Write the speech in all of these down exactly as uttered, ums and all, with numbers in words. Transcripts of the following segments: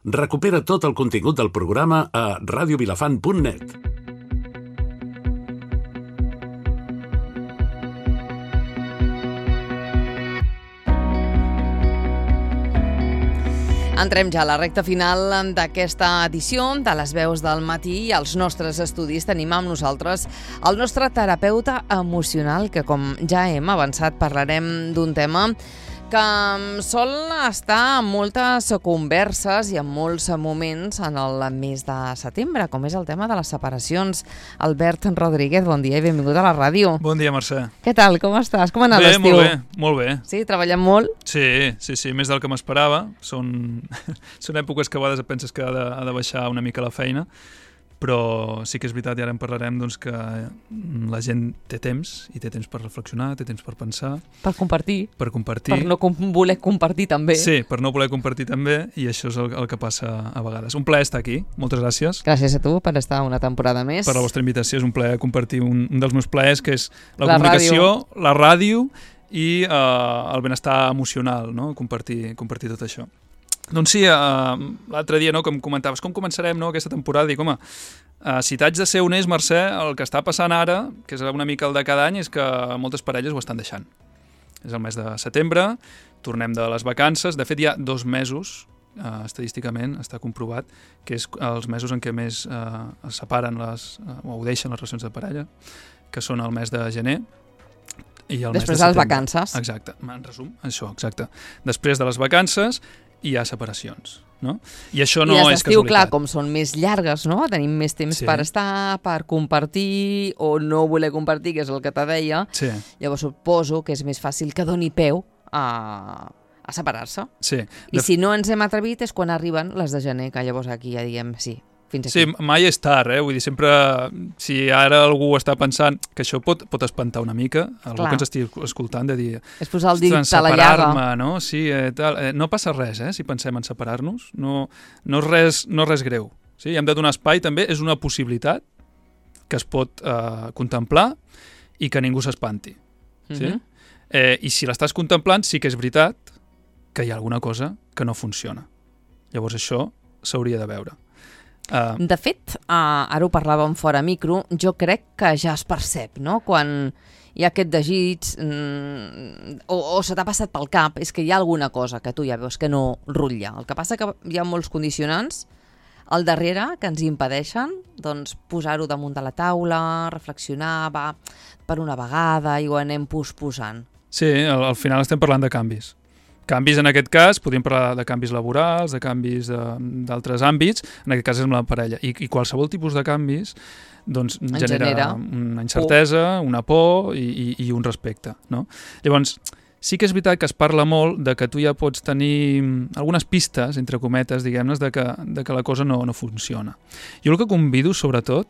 Recupera tot el contingut del programa a radio vilafant punt net. Entrem ja a la recta final d'aquesta edició de les veus del matí i als nostres estudis tenim amb nosaltres el nostre terapeuta emocional, que com ja hem avançat parlarem d'un tema que sol estar en moltes converses i en molts moments en el mes de setembre, com és el tema de les separacions. Albert Rodríguez, bon dia i benvingut a la ràdio. Bon dia, Mercè. Què tal? Com estàs? Com ha anat l'estiu? Bé, molt bé, molt bé. Sí, treballant molt? Sí, sí, sí, més del que m'esperava. Són, són èpoques que a vegades penses que ha de, ha de baixar una mica la feina, però sí que és veritat, i ara en parlarem, doncs, que la gent té temps, i té temps per reflexionar, té temps per pensar. Per compartir. Per compartir. Per no com voler compartir també. Sí, per no voler compartir també, i això és el, el que passa a vegades. Un plaer estar aquí, moltes gràcies. Gràcies a tu per estar una temporada més. Per la vostra invitació, és un plaer compartir un, un dels meus plaers, que és la, la comunicació, ràdio. la ràdio i eh, el benestar emocional, no? Compartir, compartir tot això. Doncs sí, uh, l'altre dia, no, com comentaves, com començarem, no, aquesta temporada, dic, home, uh, si t'haig de ser honest, Mercè, el que està passant ara, que és una mica el de cada any, és que moltes parelles ho estan deixant. És el mes de setembre, tornem de les vacances, de fet hi ha dos mesos, uh, estadísticament està comprovat, que és els mesos en què més uh, es separen les, uh, o ho deixen les relacions de parella, que són el mes de gener, i el Després mes de, de les vacances. Exacte, en resum, això, exacte. Després de les vacances hi ha separacions, no? I això no I és casualitat. clar, com són més llargues, no? Tenim més temps sí. per estar, per compartir o no voler compartir, que és el que te deia. Sí. Llavors suposo que és més fàcil que doni peu a, a separar-se. Sí. I de... si no ens hem atrevit és quan arriben les de gener, que llavors aquí ja diguem sí. Fins aquí. Sí, mai és tard, eh? Vull dir, sempre, si ara algú està pensant que això pot, pot espantar una mica, algú Clar. que ens estigui escoltant, de dir... És posar el dit a la llaga. No? Sí, eh, tal. Eh, no passa res, eh, si pensem en separar-nos. No, no, és res, no és res greu. Sí? Hem de donar espai, també, és una possibilitat que es pot eh, contemplar i que ningú s'espanti. Sí? Mm-hmm. eh, I si l'estàs contemplant, sí que és veritat que hi ha alguna cosa que no funciona. Llavors això s'hauria de veure. Uh. De fet, uh, ara ho parlàvem fora micro, jo crec que ja es percep, no? Quan hi ha aquest desig mm, o, o se t'ha passat pel cap, és que hi ha alguna cosa que tu ja veus que no rutlla. El que passa que hi ha molts condicionants al darrere que ens impedeixen doncs, posar-ho damunt de la taula, reflexionar, va per una vegada i ho anem posposant. Sí, al, al final estem parlant de canvis. Canvis en aquest cas, podríem parlar de canvis laborals, de canvis d'altres àmbits, en aquest cas és amb la parella. I, i qualsevol tipus de canvis doncs, genera, genera una incertesa, por. una por i, i, i un respecte. No? Llavors, sí que és veritat que es parla molt de que tu ja pots tenir algunes pistes, entre cometes, diguem-ne, de, que, de que la cosa no, no funciona. Jo el que convido, sobretot,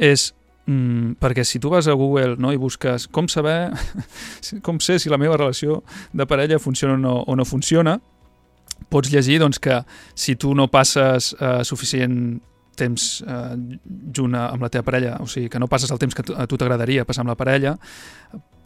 és Mm, perquè si tu vas a Google, no, i busques com saber, com sé si la meva relació de parella funciona o no, o no funciona, pots llegir doncs, que si tu no passes eh, suficient temps eh, junt amb la teva parella, o sigui, que no passes el temps que a tu t'agradaria passar amb la parella,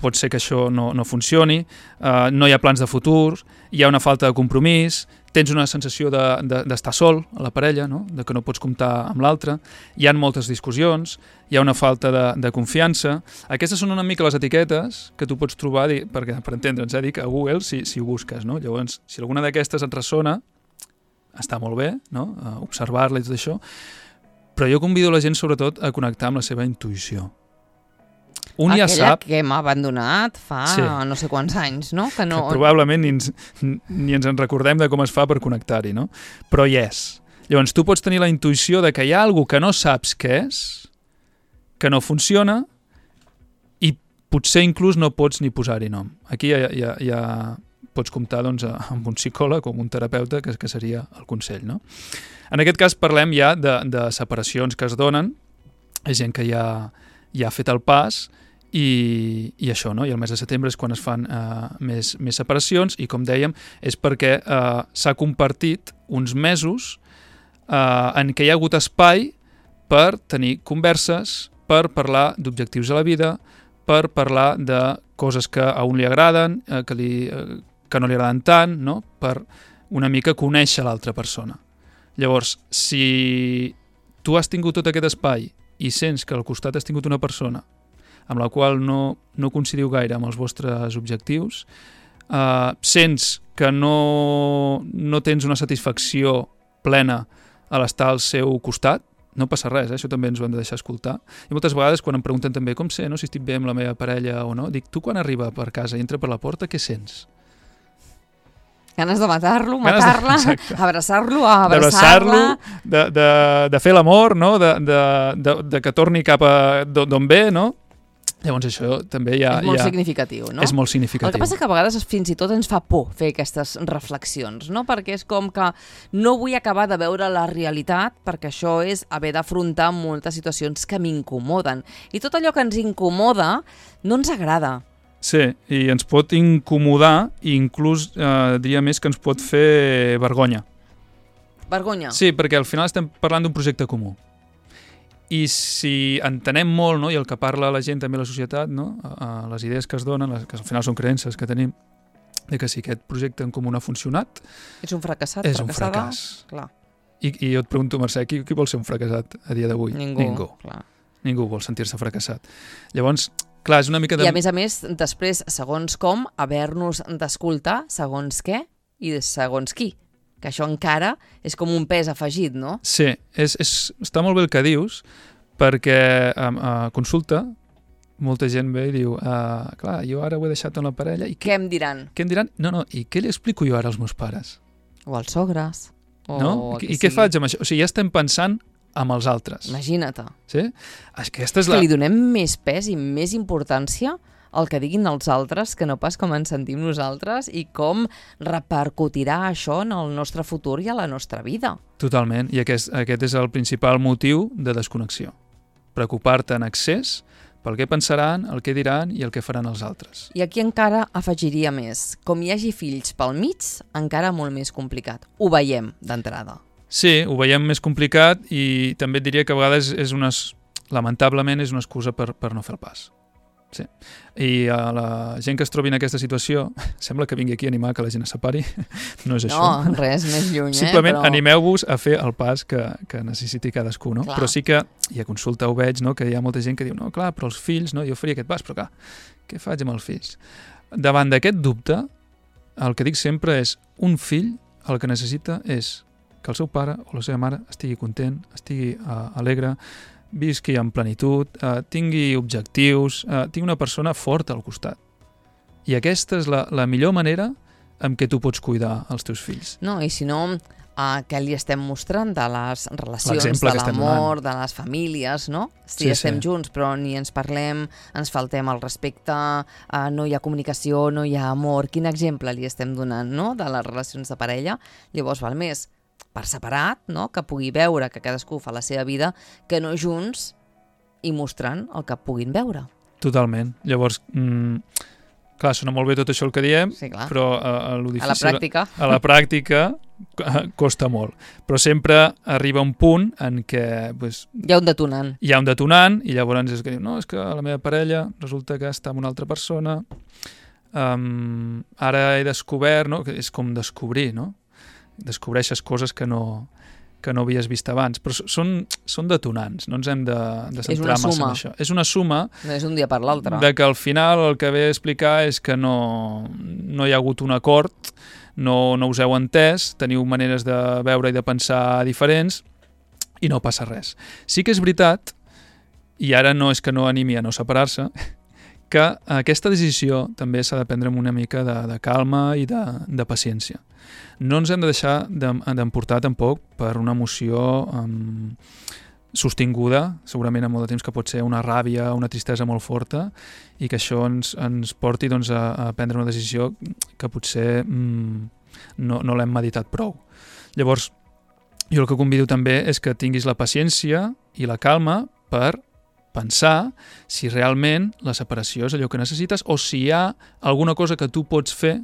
pot ser que això no, no funcioni, eh, no hi ha plans de futur, hi ha una falta de compromís, tens una sensació d'estar de, de, sol a la parella, no? De que no pots comptar amb l'altre, hi ha moltes discussions, hi ha una falta de, de confiança. Aquestes són una mica les etiquetes que tu pots trobar, perquè, per entendre'ns, eh, dic a Google si, si ho busques. No? Llavors, si alguna d'aquestes et ressona, està molt bé, no? Uh, observar-la i tot això, però jo convido la gent sobretot a connectar amb la seva intuïció. Un Aquella ja sap... que hem abandonat fa sí. no sé quants anys, no? Que no... Que probablement ni ens, ni ens en recordem de com es fa per connectar-hi, no? Però hi és. Llavors, tu pots tenir la intuïció de que hi ha alguna que no saps què és, que no funciona, i potser inclús no pots ni posar-hi nom. Aquí ja, ja, ja pots comptar doncs, amb un psicòleg o amb un terapeuta, que, que seria el consell, no? En aquest cas parlem ja de, de separacions que es donen, és gent que ja, ja ha fet el pas, I, i això, no? I el mes de setembre és quan es fan eh, més, més separacions i, com dèiem, és perquè eh, s'ha compartit uns mesos eh, en què hi ha hagut espai per tenir converses, per parlar d'objectius a la vida, per parlar de coses que a un li agraden, eh, que, li, eh, que no li agraden tant, no? Per una mica conèixer l'altra persona. Llavors, si tu has tingut tot aquest espai i sents que al costat has tingut una persona amb la qual no, no coincidiu gaire amb els vostres objectius, eh, sents que no, no tens una satisfacció plena a l'estar al seu costat, no passa res, eh? Això també ens ho hem de deixar escoltar. I moltes vegades quan em pregunten també com sé, no, si estic bé amb la meva parella o no, dic, tu quan arriba per casa i entra per la porta, què sents? Ganes de matar-lo, matar-la, abraçar-lo, abraçar-la... De, de, de fer l'amor, no? de, de, de, de que torni cap a d'on ve, no? Llavors això també ja... És molt ja significatiu, no? És molt significatiu. El que passa que a vegades fins i tot ens fa por fer aquestes reflexions, no? Perquè és com que no vull acabar de veure la realitat, perquè això és haver d'afrontar moltes situacions que m'incomoden. I tot allò que ens incomoda no ens agrada. Sí, i ens pot incomodar i inclús eh, diria més que ens pot fer vergonya. Vergonya? Sí, perquè al final estem parlant d'un projecte comú. I si entenem molt, no, i el que parla la gent també a la societat, no, a, a les idees que es donen, les, que al final són creences que tenim, de que si aquest projecte en comú no ha funcionat... És un fracassat, és fracassada? un fracàs. Clar. I, I jo et pregunto, Mercè, qui, qui vol ser un fracassat a dia d'avui? Ningú. Ningú. Clar. Ningú vol sentir-se fracassat. Llavors, clar, és una mica de... I a més a més, després, segons com, haver-nos d'escoltar segons què i segons qui. Que això encara és com un pes afegit, no? Sí, és, és, està molt bé el que dius, perquè a, a consulta molta gent ve i diu uh, clar, jo ara ho he deixat amb la parella i què em diran? Què em diran? No, no, i què li explico jo ara als meus pares? O als sogres. O no? I, i què faig amb això? O sigui, ja estem pensant amb els altres. Imagina't. Sí? Aquesta és que la... li donem més pes i més importància el que diguin els altres que no pas com ens sentim nosaltres i com repercutirà això en el nostre futur i a la nostra vida. Totalment, i aquest, aquest és el principal motiu de desconnexió. Preocupar-te en excés pel que pensaran, el que diran i el que faran els altres. I aquí encara afegiria més. Com hi hagi fills pel mig, encara molt més complicat. Ho veiem d'entrada. Sí, ho veiem més complicat i també et diria que a vegades és una, lamentablement és una excusa per, per no fer el pas. Sí. I a la gent que es trobi en aquesta situació, sembla que vingui aquí a animar que la gent es separi, no és això. No, res més lluny, Simplement eh? Però... animeu-vos a fer el pas que, que necessiti cadascú, no? Clar. Però sí que, i a consulta ho veig, no? Que hi ha molta gent que diu, no, clar, però els fills, no? Jo faria aquest pas, però clar, què faig amb els fills? Davant d'aquest dubte, el que dic sempre és, un fill el que necessita és que el seu pare o la seva mare estigui content, estigui uh, alegre, visqui en plenitud, eh, tingui objectius, eh, tingui una persona forta al costat. I aquesta és la, la millor manera en què tu pots cuidar els teus fills. No, i si no, eh, què li estem mostrant de les relacions, de l'amor, de les famílies, no? Si sí, estem sí. junts però ni ens parlem, ens faltem el respecte, eh, no hi ha comunicació, no hi ha amor. Quin exemple li estem donant, no?, de les relacions de parella? Llavors val més per separat, no?, que pugui veure que cadascú fa la seva vida, que no junts i mostrant el que puguin veure. Totalment. Llavors, mm, clar, sona molt bé tot això el que diem, sí, però a, a, lo difícil, a la pràctica, a la pràctica costa molt. Però sempre arriba un punt en què pues, hi ha un detonant. Hi ha un detonant i llavors és que diu, no, és que la meva parella resulta que està amb una altra persona, um, ara he descobert, no?, que és com descobrir, no?, descobreixes coses que no, que no havies vist abans, però són, són detonants, no ens hem de, de centrar massa en això. És una suma. No és un dia per l'altre. De que al final el que ve a explicar és que no, no hi ha hagut un acord, no, no us heu entès, teniu maneres de veure i de pensar diferents i no passa res. Sí que és veritat, i ara no és que no animi a no separar-se, que aquesta decisió també s'ha de prendre amb una mica de, de calma i de, de paciència. No ens hem de deixar d'emportar tampoc per una emoció um, sostinguda, segurament amb molt de temps, que pot ser una ràbia, una tristesa molt forta, i que això ens, ens porti doncs, a, a prendre una decisió que potser um, no, no l'hem meditat prou. Llavors, jo el que convido també és que tinguis la paciència i la calma per pensar si realment la separació és allò que necessites o si hi ha alguna cosa que tu pots fer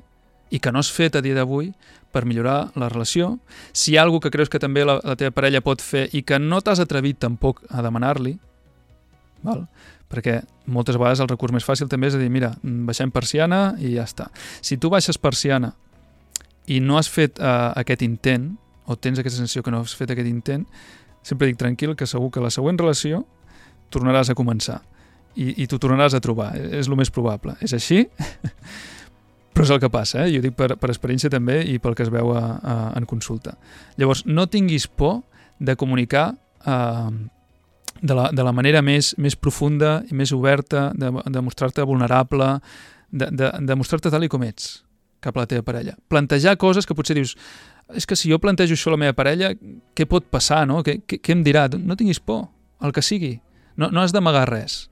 i que no has fet a dia d'avui per millorar la relació, si hi ha alguna que creus que també la, la teva parella pot fer i que no t'has atrevit tampoc a demanar-li, val? Perquè moltes vegades el recurs més fàcil també és dir, mira, baixem persiana i ja està. Si tu baixes persiana i no has fet uh, aquest intent, o tens aquesta sensació que no has fet aquest intent, sempre dic tranquil, que segur que la següent relació tornaràs a començar i, i t'ho tornaràs a trobar, és el més probable. És així, però és el que passa, eh? Jo dic per, per experiència també i pel que es veu a, a, en consulta. Llavors, no tinguis por de comunicar eh, de, la, de la manera més, més profunda i més oberta, de, de mostrar-te vulnerable, de, de, de mostrar-te tal i com ets cap a la teva parella. Plantejar coses que potser dius, és que si jo plantejo això a la meva parella, què pot passar, no? Què, què, què em dirà? No tinguis por, el que sigui. No, no has d'amagar res.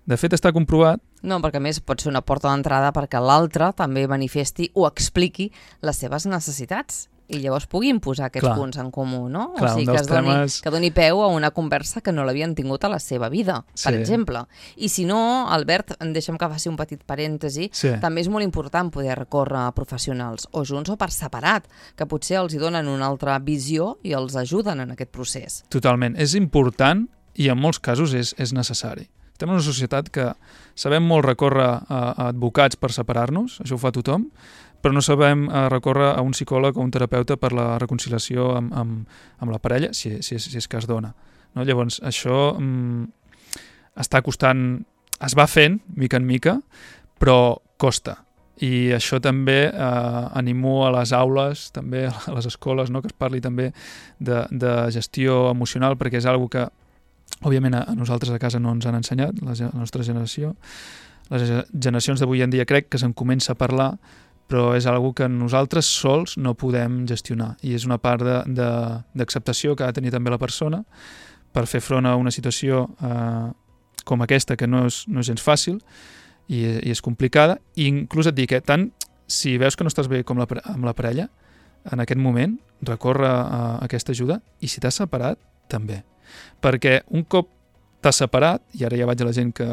De fet, està comprovat. No, perquè a més pot ser una porta d'entrada perquè l'altre també manifesti o expliqui les seves necessitats i llavors pugui imposar aquests Clar. punts en comú, no? Clar, o sigui, que, es doni, temes... que doni peu a una conversa que no l'havien tingut a la seva vida, per sí. exemple. I si no, Albert, deixa'm que faci un petit parèntesi, sí. també és molt important poder recórrer a professionals, o junts o per separat, que potser els hi donen una altra visió i els ajuden en aquest procés. Totalment. És important i en molts casos és, és necessari. Estem en una societat que sabem molt recórrer a, a advocats per separar-nos, això ho fa tothom, però no sabem uh, recórrer a un psicòleg o un terapeuta per la reconciliació amb, amb, amb la parella, si, si, si és que es dona. No? Llavors, això mm, està costant, es va fent, mica en mica, però costa. I això també eh, animo a les aules, també a les escoles, no? Que es parli també de, de gestió emocional, perquè és una que, òbviament, a nosaltres a casa no ens han ensenyat, la, la nostra generació. Les generacions d'avui en dia crec que se'n comença a parlar, però és una que nosaltres sols no podem gestionar i és una part d'acceptació que ha de tenir també la persona per fer front a una situació eh, com aquesta que no és, no és gens fàcil i, i és complicada, i inclús et dic que tant si veus que no estàs bé com la, amb la parella en aquest moment, recorre a aquesta ajuda, i si t'has separat també, perquè un cop t'has separat, i ara ja vaig a la gent que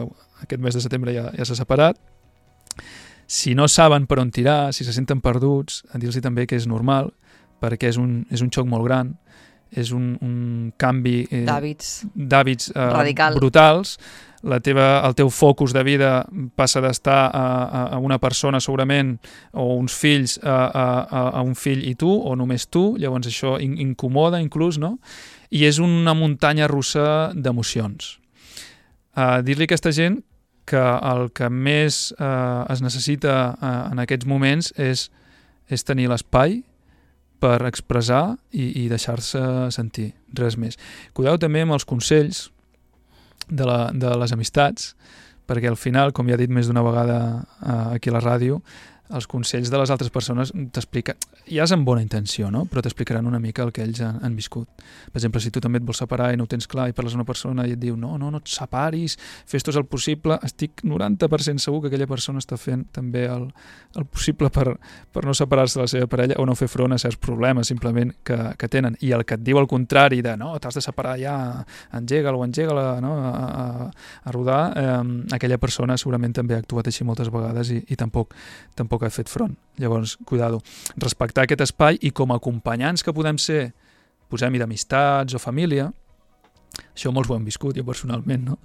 aquest mes de setembre ja, ja s'ha separat, si no saben per on tirar, si se senten perduts, dir-los també que és normal, perquè és un, és un xoc molt gran, és un, un canvi eh, d'hàbits eh, brutals. La teva, el teu focus de vida passa d'estar a, a, a una persona segurament, o uns fills a, a, a un fill i tu, o només tu, llavors això in, incomoda inclús, no? I és una muntanya russa d'emocions. Uh, dir-li a aquesta gent que el que més eh, es necessita eh, en aquests moments és, és tenir l'espai per expressar i, i deixar-se sentir, res més. Cuideu també amb els consells de, la, de les amistats, perquè al final, com ja he dit més d'una vegada eh, aquí a la ràdio, els consells de les altres persones t'expliquen, ja és amb bona intenció, no? Però t'explicaran una mica el que ells han, han viscut. Per exemple, si tu també et vols separar i no ho tens clar i parles amb una persona i et diu no, no, no et separis, fes tot el possible, estic noranta per cent segur que aquella persona està fent també el, el possible per, per no separar-se de la seva parella o no fer front a certs problemes simplement que, que tenen. I el que et diu el contrari de no, t'has de separar ja, engega-la o engega-la no, a, a, a rodar, eh, aquella persona segurament també ha actuat així moltes vegades i, i tampoc, tampoc ha fet front. Llavors, cuidado. Respectar aquest espai i com a acompanyants que podem ser, posem-hi d'amistats o família, això molts ho hem viscut, jo personalment, no?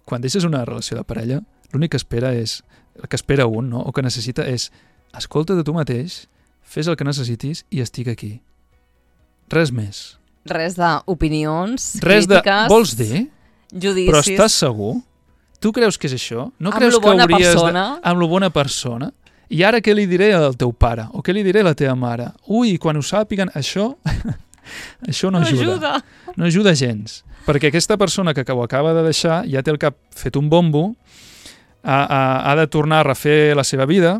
Quan deixes una relació de parella, l'únic que espera és, el que espera un, no? O que necessita és, escolta de tu mateix, fes el que necessitis i estic aquí. Res més. Res d'opinions, Res crítiques... De, vols dir? Judicis. Però estàs segur? Tu creus que és això? No amb creus lo bona que hauries persona. De, amb lo bona persona? I ara què li diré al teu pare? O què li diré a la teva mare? Ui, quan ho sàpiguen, això això no, no ajuda. ajuda. No ajuda gens. Perquè aquesta persona que ho acaba de deixar ja té el cap fet un bombo, ha, ha, ha de tornar a refer la seva vida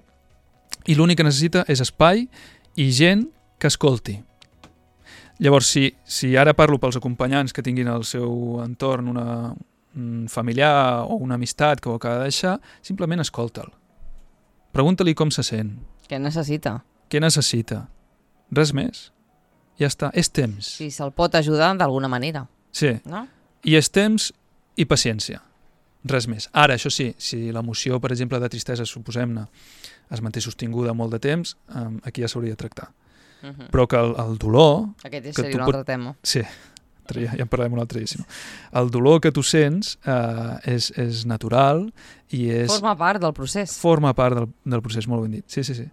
i l'únic que necessita és espai i gent que escolti. Llavors, si, si ara parlo pels acompanyants que tinguin al seu entorn una, un familiar o una amistat que ho acaba de deixar, simplement escolta'l. Pregunta-li com se sent. Què necessita? Què necessita? Res més. Ja està. És temps. Si se'l pot ajudar d'alguna manera. Sí. No? I és temps i paciència. Res més. Ara, això sí, si l'emoció, per exemple, de tristesa, suposem-ne, es manté sostinguda molt de temps, aquí ja s'hauria de tractar. Uh -huh. Però que el, el dolor... Aquest seria un altre pot... tema. Sí. Ja, ja en parlarem un altre dia, si no. El dolor que tu sents eh, és, és natural i és... Forma part del procés. Forma part del, del procés, molt ben dit. Sí, sí, sí.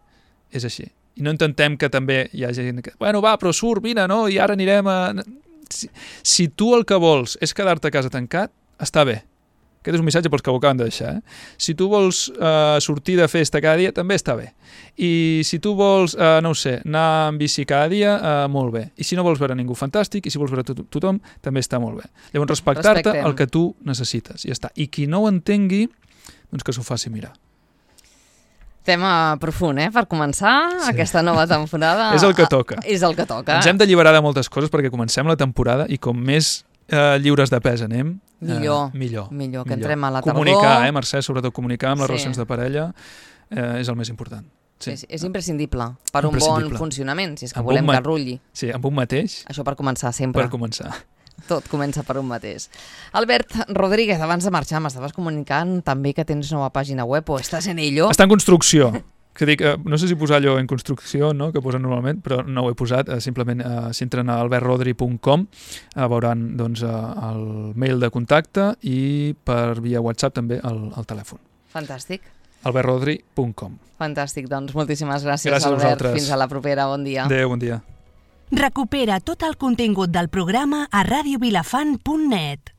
És així. I no intentem que també hi ha gent que, bueno, va, però surt, vine, no? I ara anirem a... Si, si tu el que vols és quedar-te a casa tancat, està bé. Aquest és un missatge pels que ho acaben de deixar. Eh? Si tu vols uh, sortir de festa cada dia, també està bé. I si tu vols, uh, no ho sé, anar amb bici cada dia, uh, molt bé. I si no vols veure ningú, fantàstic. I si vols veure to tothom, també està molt bé. Llavors, respectar-te el que tu necessites. I ja està. I qui no ho entengui, doncs que s'ho faci mirar. Tema profund, eh? Per començar, sí. Aquesta nova temporada... És el que toca. És el que toca. Ens hem d'alliberar de moltes coses perquè comencem la temporada i com més uh, lliures de pes anem, Millor, uh, millor, millor, que millor. Entrem a la tardor. Comunicar, eh, Mercè, sobretot comunicar amb les sí. relacions de parella eh, és el més important. Sí. És, és imprescindible per imprescindible. Un bon funcionament, si és que amb volem que rulli. Sí, amb un mateix. Això per començar sempre. Per començar. Tot comença per un mateix. Albert Rodríguez, abans de marxar, m'estaves comunicant també que tens nova pàgina web o estàs en ello? Està en construcció. Que dic, eh, no sé si posar allò en construcció, no?, que posen normalment, però no ho he posat. Eh, simplement, eh, si entren a albert rodri punt com, eh, veuran doncs, eh, el mail de contacte i per via WhatsApp també el, el telèfon. Fantàstic. albert rodri punt com. Fantàstic, doncs moltíssimes gràcies, gràcies Albert. Fins a la propera, bon dia. Adéu, bon dia. Recupera tot el contingut del programa a radio vilafant punt net.